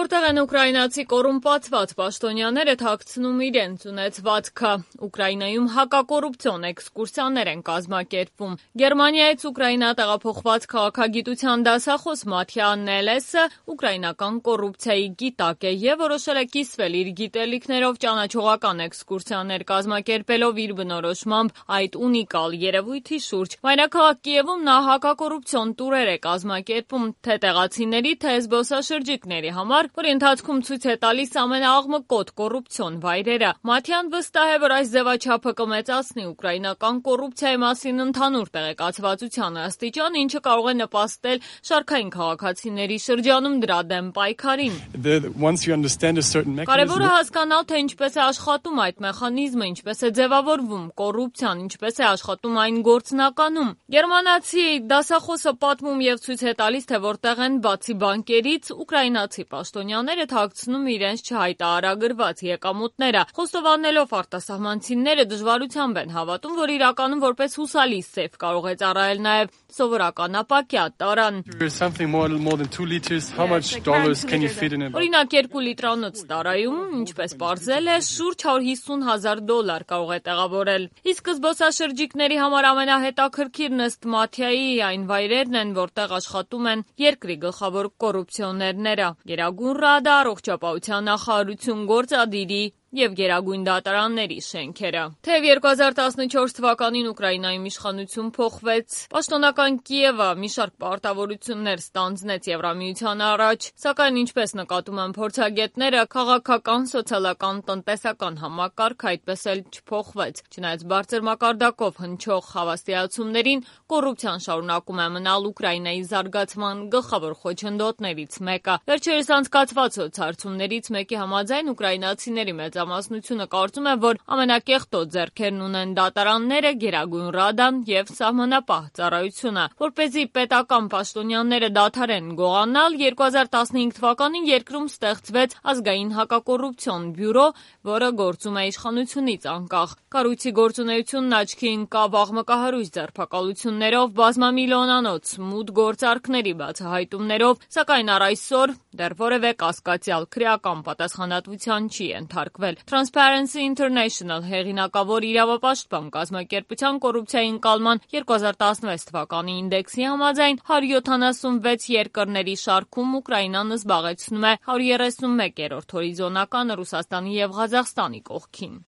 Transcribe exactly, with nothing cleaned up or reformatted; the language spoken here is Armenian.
Որտեղ են ուկրաինացի կոռումպացված պաշտոնյաները թաքցնում իրենց ունեցվածքը։ Ուկրաինայում հակակոռուպցիոն էքսկուրսիաներ են կազմակերպվում։ Գերմանիայից Ուկրաինա տեղափոխված քաղաքագիտության դասախոս Մաթյա Նելեսը ուկրաինական կոռուպցիայի գիտակ է և որոշել է կիսվել իր գիտելիքներով ճանաչողական էքսկուրսիաներ կազմակերպելով իր բնորոշմամբ այդ ունիկալ երևույթի շուրջ։ Մայրաքաղաք Կիևում նա հակակոռուպցիոն տուրեր է կազմակերպում թե տեղացիների, թե զբոսաշրջիկների համար, որի ընթացքում ցույց է տալիս ամենաաղմկոտ կոռուպցիոն վայրերը։ Մաթյան վստահ է, որ այս ձևաչափը կմեծացնի ուկրաինական կոռուպցիայի մասին ընդհանուր տեղեկացվածության աստիճան, ինչը կարող է նպաստել շարքային քաղաքացիների շրջանում դրա դեմ պայքարին։ Կարևորը հասկանալ, թե ինչպես է աշխատում այդ մեխանիզմը, ինչպես է ձևավորվում կոռուպցիան, ինչպես է աշխատում այն գործնականում։ Գերմանացի դասախոսը պատմում և ցույց է տալիս, թե որտեղ են բացի բանկերից ուկրաինացի պաշտոնյաները թաքցնում իրենց չհայտարարագրված եկամուտները։ Խոստովանելով արտասահմանցիները դժվարությամբ են հավատում, որ իրականում որպես հուսալի սեֆ կարող է ծառայել նաև սովորական ապակյա տարան։ Օրինակ երկու լիտրանոց տարայում, ինչպես պարզել է, շուրջ հարյուր հիսուն հազար դոլար կարող է տեղավորել։ Իսկ զբոսաշրջիկների համար ամենահետաքրքիրն ըստ Մաթյայի այն վայրերն են, որտեղ աշխատում են երկրի գլխավոր կոռուպցիոներները՝ Գերագույն Ռադա, Առողջապահության նախարարություն, գործադիրի և Գերագույն դատարանների շենքերը։ Թեև երկու հազար տասնչորս թվականին Ուկրաինայում իշխանություն փոխվեց, պաշտոնական Կիևը մի շարք պարտավորություններ ստանձնեց Եվրամիության առաջ, սակայն ինչպես նկատում են փորձագետները, քաղաքական, սոցիալական, տնտեսական համակարգը այդպես էլ չփոխվեց։ Չնայած բարձր մակարդակով հնչող հավաստիացումներին, կոռուպցիան շարունակում է մնալ Ուկրաինայի զարգացման գլխավոր խոչընդոտներից մեկը։ Վերջերս անցկացված սոցհարցումներից մեկի համաձայն ուկրաինացիների մեծամասնությունը կարծում է, որ ամենակեղտոտ ձեռքերն ունեն դատարանները, Գերագույն Ռադան և Սահմանապահ ծառայությունը։ Որպեսզի պետական պաշտոնյաները դադարեն գողանալ, երկու հազար տասնհինգ թվականին երկրում ստեղծվեց ազգային հակակոռուպցիոն բյուրո, որը գործում է իշխանությունից անկախ։ Կառույցի գործունեությունն աչքի ընկավ աղմկահարույց ձերբակալություններով, բազմամիլիոնանոց մութ գործարքների բացահայտումներով, սակայն առ այսօր դեռ որևէ կասկածյալ քրեական պատասխանատվության չի ենթարկվել։ Transparency International հեղինակավոր իրավապաշտպան կազմակերպության կոռուպցիայի ընկալման երկու հազար տասնվեց թվականի ինդեքսի համաձայն հարյուր յոթանասունվեց երկրների շարքում Ուկրաինան զբաղեցնում է հարյուր երեսունմեկերորդ հորիզոնականը Ռուսաստանի և Ղազախստանի կողքին։